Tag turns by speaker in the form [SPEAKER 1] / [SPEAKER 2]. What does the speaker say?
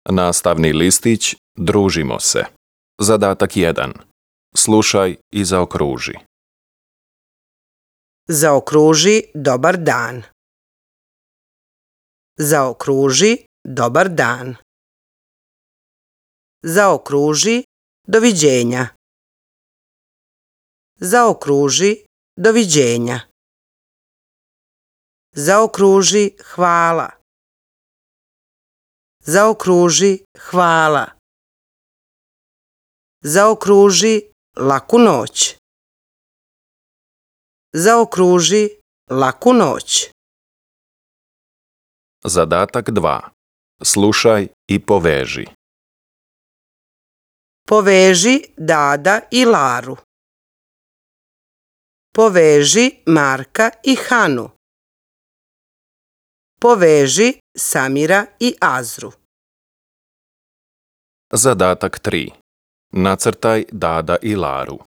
[SPEAKER 1] Nastavni listić Družimo se. Zadatak 1. Slušaj i zaokruži.
[SPEAKER 2] Zaokruži dobar dan. Zaokruži dobar dan. Zaokruži doviđenja. Zaokruži doviđenja. Zaokruži hvala. Zaokruži hvala. Zaokruži laku noć. Zaokruži laku noć.
[SPEAKER 1] Zadatak 2. Slušaj i poveži.
[SPEAKER 2] Poveži Dada i Laru. Poveži Marka i Hanu. Poveži Samira i Azru.
[SPEAKER 1] Zadatak 3. Nacrtaj Dada i Laru.